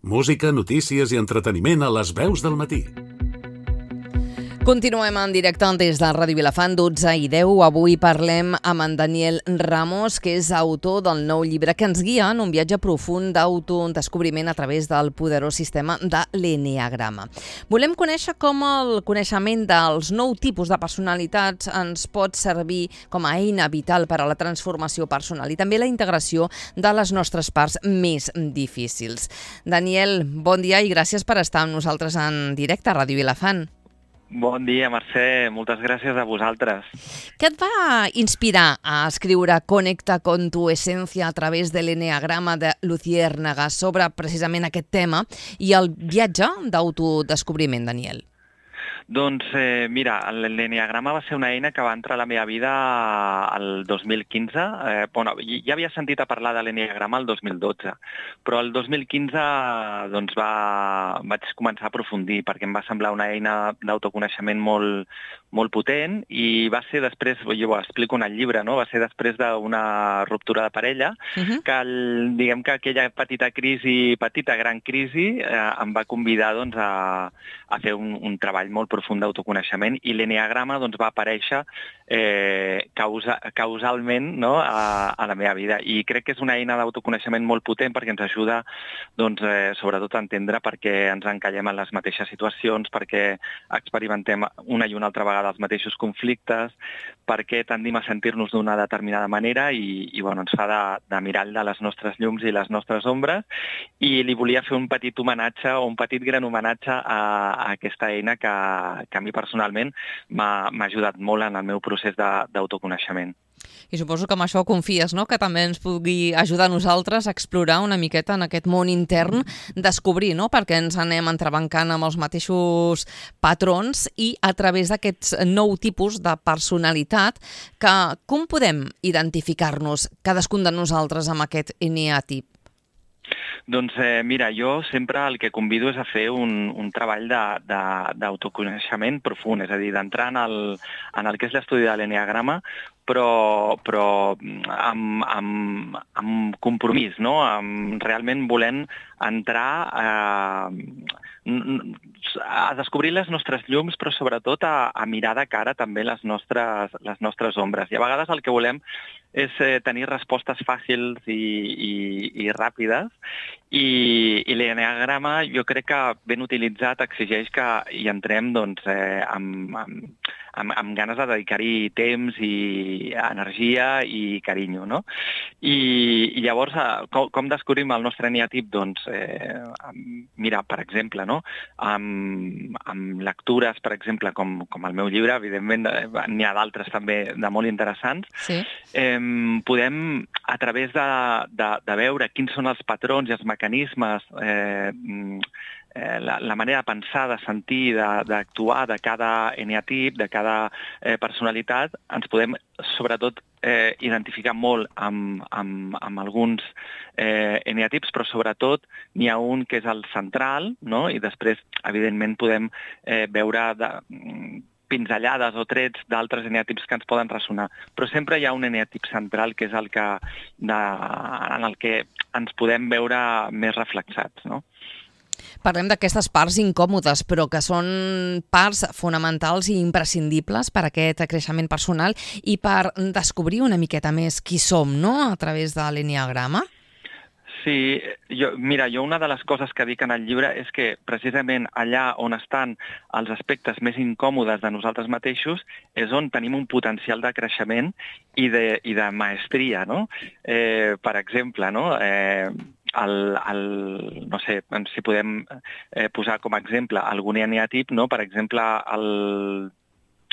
Música, notícies i entreteniment a les veus del matí. Continuem en directe des de Ràdio Vilafant, 12 i 10. Avui parlem amb en Daniel Ramos, que és autor del nou llibre que ens guia en un viatge profund d'autodescobriment a través del poderós sistema de l'Enneagrama. Volem conèixer com el coneixement dels 9 tipus de personalitats ens pot servir com a eina vital per a la transformació personal i també la integració de les nostres parts més difícils. Daniel, bon dia i gràcies per estar amb nosaltres en directe a Ràdio Vilafant. Bon dia, Mercè. Moltes gràcies a vosaltres. Què et va inspirar a escriure Conecta con tu esencia a través de l'Enneagrama de Luciérnaga sobre precisament aquest tema i el viatge d'autodescobriment, Daniel? Doncs mira, l'Enneagrama va ser una eina que va entrar a la meva vida el 2015. Ja havia sentit a parlar de l'Enneagrama el 2012, però el 2015 doncs, vaig començar a aprofundir perquè em va semblar una eina d'autoconeixement molt potent i va ser després, jo ho explico en el llibre, no? Va ser després d'una ruptura de parella que diguem que aquella gran crisi em va convidar doncs, a fer un treball molt profund d'autoconeixement i l'Enneagrama doncs, va aparèixer causalment, no? a la meva vida. I crec que és una eina d'autoconeixement molt potent perquè ens ajuda doncs, sobretot a entendre per què ens encallem en les mateixes situacions, perquè experimentem una i una altra vegada els mateixos conflictes, per què tendim a sentir-nos d'una determinada manera i ens fa de mirall de les nostres llums i les nostres ombres. I li volia fer un petit homenatge o un petit gran homenatge a aquesta eina que a mi personalment m'ha ajudat molt en el meu procés d'autoconeixement. I suposo que amb això confies, no? Que també ens pugui ajudar a nosaltres a explorar una miqueta en aquest món intern, descobrir, no? Perquè ens anem entrebancant amb els mateixos patrons i a través d'aquests 9 tipus de personalitat, com podem identificar-nos cadascun de nosaltres amb aquest eneatip? Doncs mira, jo sempre el que convido és a fer un treball d'autoconeixement profund, és a dir, d'entrar en el que és l'estudi de l'Enneagrama, però amb compromís, no? Realment volent entrar a descobrir les nostres llums, però sobretot a mirar de cara també les nostres ombres. I a vegades el que volem és tenir respostes fàcils i ràpides, i l'Enneagrama jo crec que ben utilitzat exigeix que hi entrem doncs, amb ganes de dedicar-hi temps i energia i carinyo, no? I llavors, com descobrim el nostre eneatip? Doncs, mira, per exemple, no? Amb lectures, per exemple, com el meu llibre, evidentment n'hi ha d'altres també de molt interessants, sí. Podem, a través de veure quins són els patrons i els mecanismes, la manera de pensar, de sentir, d'actuar de cada eneatip, de cada personalitat, ens podem sobretot identificar molt amb alguns eneatips, però sobretot n'hi ha un que és el central, no? I després, evidentment, podem veure pinzellades o trets d'altres eneatips que ens poden ressonar. Però sempre hi ha un eneatip central que és en el que ens podem veure més reflexats, no? Parlem d'aquestes parts incòmodes, però que són parts fonamentals i imprescindibles per a aquest creixement personal i per descobrir una miqueta més qui som, no?, a través de l'Enneagrama. Sí, jo una de les coses que dic en el llibre és que precisament allà on estan els aspectes més incòmodes de nosaltres mateixos és on tenim un potencial de creixement i de maestria, no? Per exemple, no? No sé si podem posar com a exemple algun eneatip, no? Per exemple, el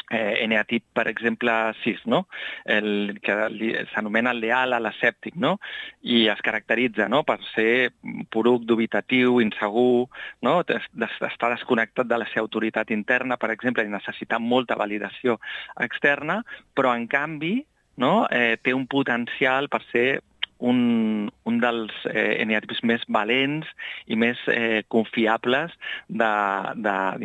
eneatip, per exemple, 6, no? Que s'anomena el leal, l'escèptic, no? I es caracteritza, no?, per ser poruc, dubitatiu, insegur, no? Estar desconnectat de la seva autoritat interna, per exemple, i necessitar molta validació externa, però en canvi, no?, té un potencial per ser un dels eneatips més valents i més confiables d'aquests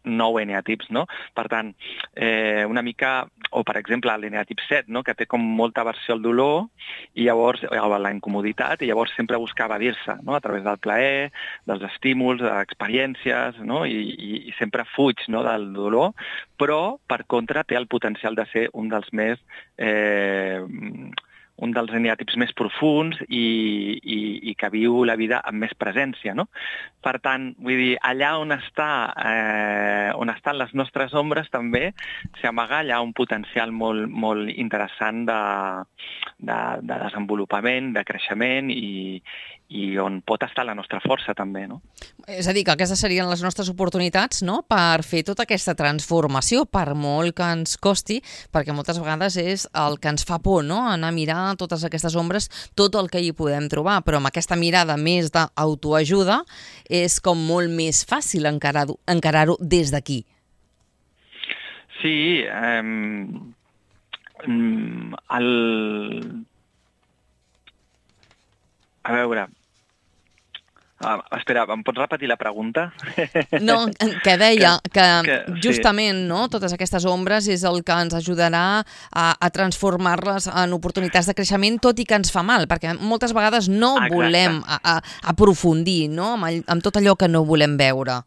9 eneatips, no? Per tant, una mica, o per exemple l'eneatip 7, no? Que té com molta aversió al dolor i llavors a la incomoditat, i llavors sempre busca evadir-se, no? A través del plaer, dels estímuls, de les experiències, no? I sempre fuig, no? Del dolor, però per contra té el potencial de ser un dels eneatips més profunds i que viu la vida amb més presència, no? Per tant, vull dir, allà on estan les nostres ombres també s'hi amaga allà un potencial molt, molt interessant de desenvolupament, de creixement i on pot estar la nostra força també, no? És a dir, que aquestes serien les nostres oportunitats, no?, per fer tota aquesta transformació, per molt que ens costi, perquè moltes vegades és el que ens fa por, no?, anar a mirar totes aquestes ombres, tot el que hi podem trobar, però amb aquesta mirada més d'autoajuda és com molt més fàcil encarar-ho des d'aquí. Sí, a veure, espera, em pots repetir la pregunta? No, que deia que justament, no, totes aquestes ombres és el que ens ajudarà a transformar-les en oportunitats de creixement, tot i que ens fa mal, perquè moltes vegades no volem aprofundir, no?, amb tot allò que no volem veure.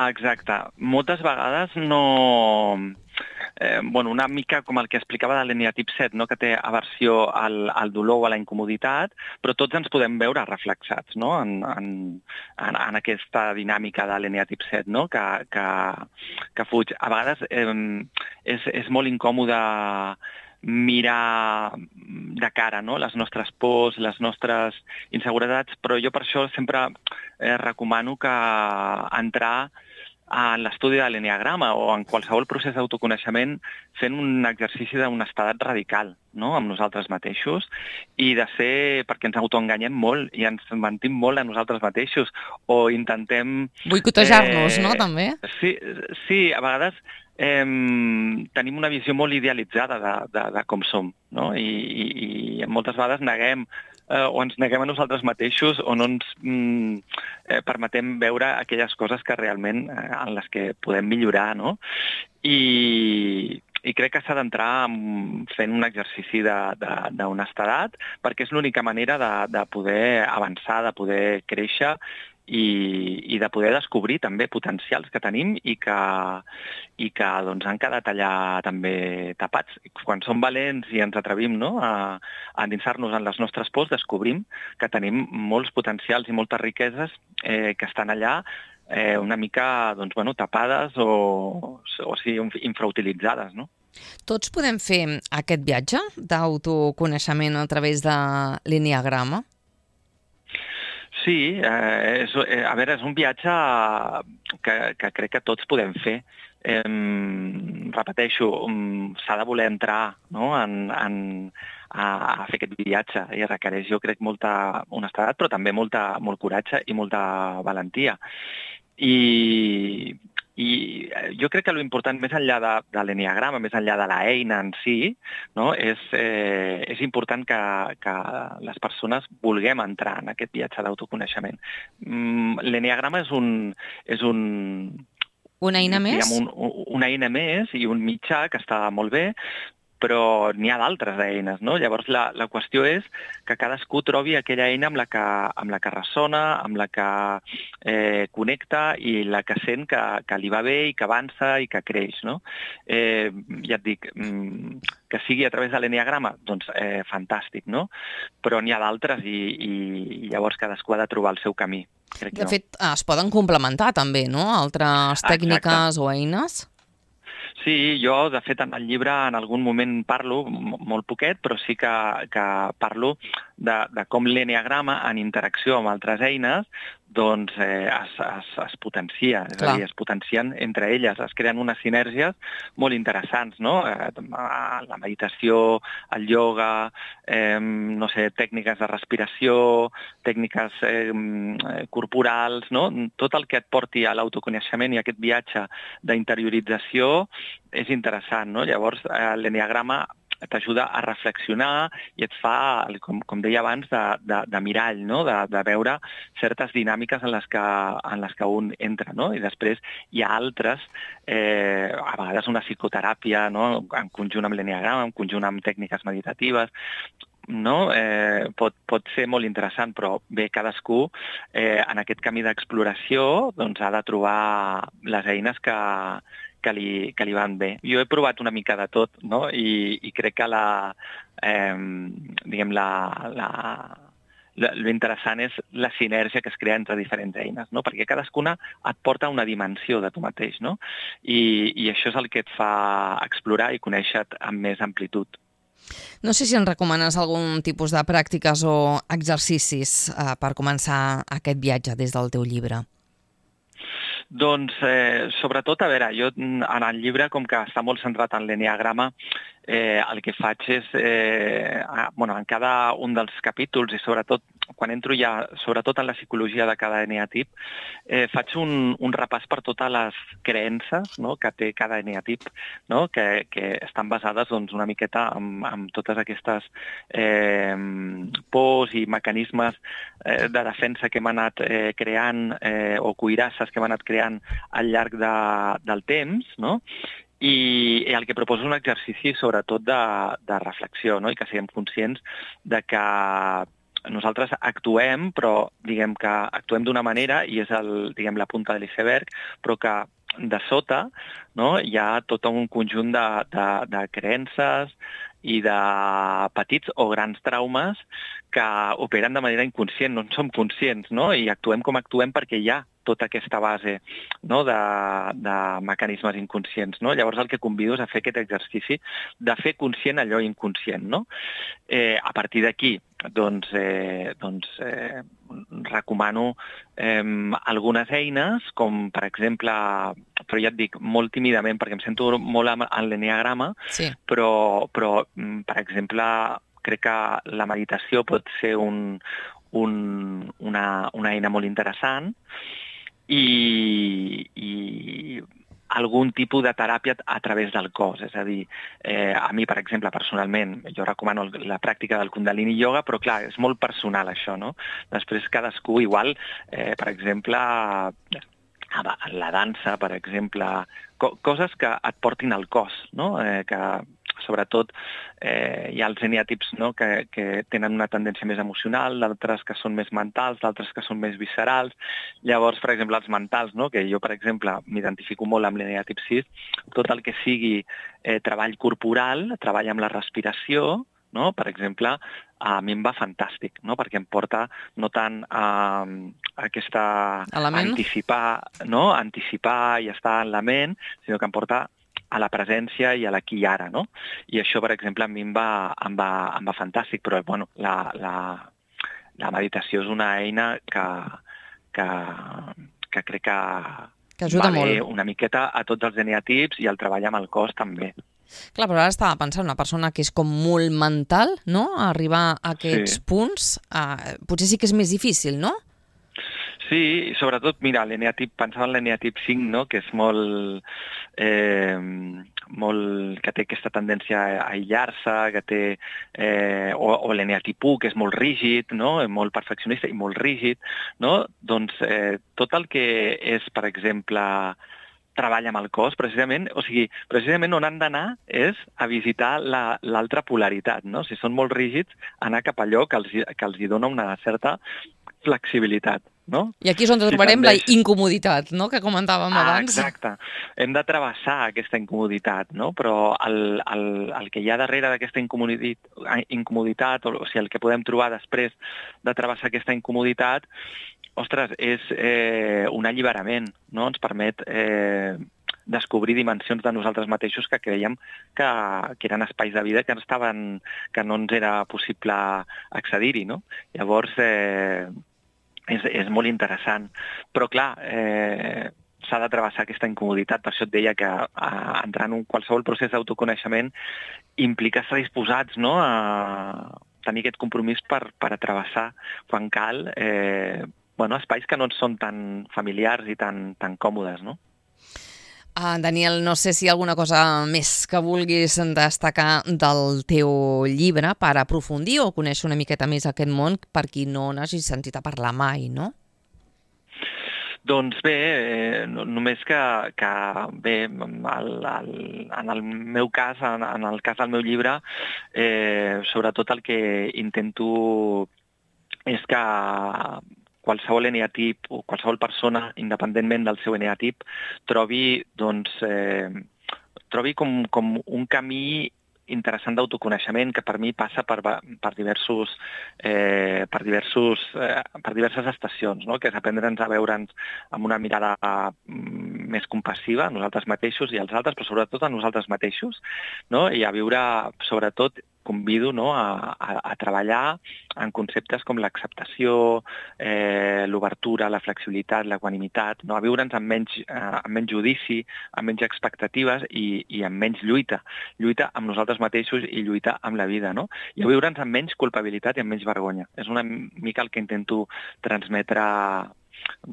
Exacte. Moltes vegades no... una mica com el que explicava de l'eneatip 7, no? Que té aversió al dolor o a la incomoditat, però tots ens podem veure reflexats, no? en aquesta dinàmica de l'eneatip 7, no? Que fuig. A vegades és molt incòmode mirar de cara, no? Les nostres pors, les nostres inseguretats, però jo per això sempre recomano que entrar en l'estudi de l'enneagrama o en qualsevol procés d'autoconeixement fent un exercici d'honestedat radical, no?, amb nosaltres mateixos, i de ser, perquè ens autoenganyem molt i ens mentim molt a nosaltres mateixos, o intentem... Boicotejar-nos, no?, també? Sí, a vegades tenim una visió molt idealitzada de com som, no?, i moltes vegades neguem o ens neguem a nosaltres mateixos o no ens permetem veure aquelles coses que realment en les que podem millorar, no? I crec que s'ha d'entrar fent un exercici d'honestedat, perquè és l'única manera de poder avançar, de poder créixer i de poder descobrir també potencials que tenim i que doncs, han quedat allà també tapats. Quan som valents i ens atrevim, no?, a endinsar-nos en les nostres pors, descobrim que tenim molts potencials i moltes riqueses que estan allà una mica doncs, tapades o infrautilitzades, no? Tots podem fer aquest viatge d'autoconeixement a través de l'enneagrama? Sí, és un viatge que crec que tots podem fer. Repeteixo, s'ha de voler entrar, no?, a fer aquest viatge i requereix, jo crec, molta honestedat, però també molt coratge i molta valentia. I jo crec que l'important, més enllà de l'enneagrama, més enllà de l'eina en si, no, és important que les persones vulguem entrar en aquest viatge d'autoconeixement. L'enneagrama és una eina més? Una eina més i un mitjà que està molt bé, però n'hi ha d'altres eines, no? Llavors la qüestió és que cadascú trobi aquella eina amb la que ressona, amb la que connecta i la que sent que li va bé i que avança i que creix, no? Ja et dic, que sigui a través de l'enneagrama, doncs fantàstic, no? Però n'hi ha d'altres i llavors cadascú ha de trobar el seu camí. De fet, es poden complementar també, no?, altres tècniques o eines? Sí, jo, de fet, en el llibre en algun moment parlo, molt poquet, però sí que parlo de com l'enneagrama, en interacció amb altres eines, doncs es potencia, és a dir, es potencien entre elles, es creen unes sinergies molt interessants, no? La meditació, el ioga, no sé, tècniques de respiració, tècniques corporals, no? Tot el que et porti a l'autoconeixement i a aquest viatge d'interiorització és interessant, no? Llavors, l'enneagrama t'ajuda a reflexionar i et fa, com deia abans, de mirall, no? De veure certes dinàmiques en les que un entra, no? I després hi ha altres, a vegades una psicoteràpia, no? En conjunt amb l'enneagrama, en conjunt amb tècniques meditatives, no? Pot ser molt interessant, però bé, cadascú en aquest camí d'exploració doncs, ha de trobar les eines que li van bé. Jo he provat una mica de tot, no? I crec que l'interessant és la sinergia que es crea entre diferents eines, no? Perquè cadascuna et porta una dimensió de tu mateix, no? I això és el que et fa explorar i conèixer-te amb més amplitud. No sé si ens recomanes algun tipus de pràctiques o exercicis per començar aquest viatge des del teu llibre. Doncs, sobretot, a veure, jo en el llibre, com que està molt centrat en l'enneagrama, el que faig és, en cada un dels capítols, i sobretot quan entro ja, sobretot en la psicologia de cada eneatip, faig un repàs per totes les creences, no?, que té cada eneatip, no?, que estan basades doncs, una miqueta en totes aquestes pors i mecanismes de defensa que hem anat creant o cuirasses que hem anat creant al llarg del temps, no?, i el que proposo és un exercici sobretot de reflexió, no?, i que siguem conscients de que nosaltres actuem, però diguem que actuem d'una manera i és la punta de l'iceberg, però que de sota, no, hi ha tot un conjunt de creences i de petits o grans traumes que operen de manera inconscient, no en som conscients, no? I actuem com actuem perquè hi ha tota aquesta base, no?, de mecanismes inconscients, no? Llavors el que convido és a fer aquest exercici de fer conscient allò inconscient, no? A partir d'aquí, recomano algunes eines, com per exemple, però ja et dic, molt tímidament, perquè em sento molt en l'enneagrama, Sí. però per exemple, crec que la meditació pot ser una eina molt interessant, i algun tipus de teràpia a través del cos. És a dir, a mi, per exemple, personalment, jo recomano la pràctica del Kundalini Yoga, però clar, és molt personal això, no? Després cadascú igual, per exemple, la dansa, per exemple, coses que et portin al cos, no? Que sobretot hi ha els eneatips, no?, que tenen una tendència més emocional, d'altres que són més mentals, d'altres que són més viscerals. Llavors, per exemple, els mentals, no?, que jo, per exemple, m'identifico molt amb l'eneatip 6, tot el que sigui treball corporal, treball amb la respiració, no?, per exemple, a mi em va fantàstic, no?, perquè em porta no tant a aquesta anticipar i estar en la ment, sinó que em porta a la presència i a l'aquí i ara, no? I això, per exemple, a mi em va fantàstic, però, bueno, la meditació és una eina que crec que ajuda va bé molt. una miqueta a tots els eneatips i el treball amb el cos també. Clar, però ara estava pensant, una persona que és com molt mental, no?, arribar a aquests punts, potser sí que és més difícil, no? Sí, sobretot, mira, pensava en l'eneatip 5, no?, que és molt que té aquesta tendència a aïllar-se, que té, o l'eneatip 1, que és molt rígid, no?, molt perfeccionista i molt rígid, no? Doncs tot el que és, per exemple, treball amb el cos, precisament on han d'anar és a visitar l'altra polaritat, no? Si són molt rígids, anar cap a allò que els hi dona una certa flexibilitat, no? I aquí és on trobarem la incomoditat, no?, que comentàvem abans. Exacte. Hem de travessar aquesta incomoditat, no? Però el que hi ha darrere d'aquesta incomoditat, o sigui, el que podem trobar després de travessar aquesta incomoditat, ostres, és un alliberament, no? Ens permet descobrir dimensions de nosaltres mateixos que creiem que eren espais de vida que no ens era possible accedir-hi, no? Llavors, és molt interessant. Però, clar, s'ha de travessar aquesta incomoditat. Per això et deia que entrar en qualsevol procés d'autoconeixement implica estar disposats, no?, a tenir aquest compromís per travessar, quan cal, espais que no ens són tan familiars i tan còmodes, no? Daniel, no sé si hi ha alguna cosa més que vulguis destacar del teu llibre per aprofundir o conèixer una miqueta més aquest món per qui no n'hagi sentit a parlar mai, no? Doncs bé, només que bé, en el meu cas, en el cas del meu llibre, sobretot el que intento és que qualsevol eneatip o qualsevol persona, independentment del seu eneatip, trobi com un camí interessant d'autoconeixement que per mi passa per diverses estacions, no? Que és aprendre'ns a veure'ns amb una mirada més compassiva a nosaltres mateixos i als altres, però sobretot a nosaltres mateixos, no? I a viure, sobretot, convido, no, a treballar en conceptes com l'acceptació, l'obertura, la flexibilitat, l'equanimitat, no? A viure'ns amb menys judici, amb menys expectatives i amb menys lluita. Lluita amb nosaltres mateixos i lluita amb la vida, no? I a viure'ns amb menys culpabilitat i amb menys vergonya. És una mica el que intento transmetre,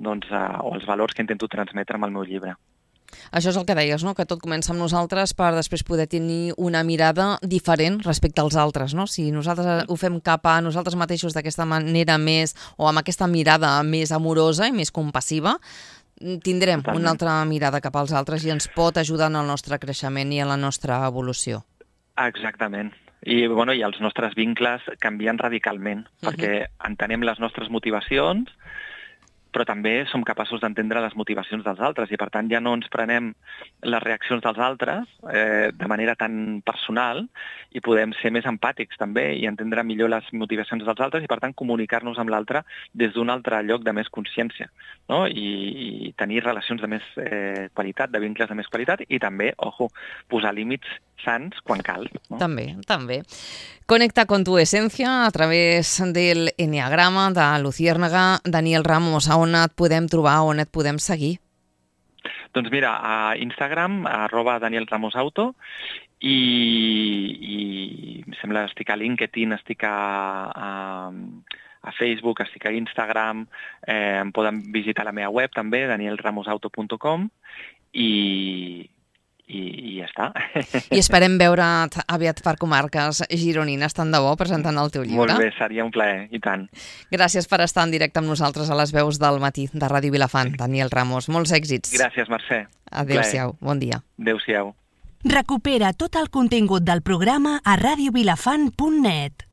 o els valors que intento transmetre amb el meu llibre. Això és el que deies, no? Que tot comença amb nosaltres per després poder tenir una mirada diferent respecte als altres, no? Si nosaltres ho fem cap a nosaltres mateixos d'aquesta manera més, o amb aquesta mirada més amorosa i més compassiva, tindrem una altra mirada cap als altres i ens pot ajudar en el nostre creixement i en la nostra evolució. Exactament. I els nostres vincles canvien radicalment, perquè entenem les nostres motivacions, però també som capaços d'entendre les motivacions dels altres i, per tant, ja no ens prenem les reaccions dels altres de manera tan personal i podem ser més empàtics també i entendre millor les motivacions dels altres i, per tant, comunicar-nos amb l'altre des d'un altre lloc de més consciència, no? I tenir relacions de més qualitat, de vincles de més qualitat i també, posar límits sans quan cal, ¿no? També. Conecta con tu esencia a través del Enneagrama de Luciérnaga. Daniel Ramos, on et podem trobar, on et podem seguir? Doncs mira, a Instagram, @DanielRamosAuto, i em sembla que estic a LinkedIn, estic a Facebook, estic a Instagram, em poden visitar la meva web també, danielramosauto.com, i ja està. I esperem veure't aviat per comarques gironines, tant de bo, presentant el teu llibre. Molt bé, seria un plaer, i tant. Gràcies per estar en directe amb nosaltres a les veus del matí de Ràdio Vilafant. Daniel Ramos, molts èxits. Gràcies, Mercè. Adéu-siau, bon dia. Adéu-siau. Recupera tot el contingut del programa a radiovilafant.net.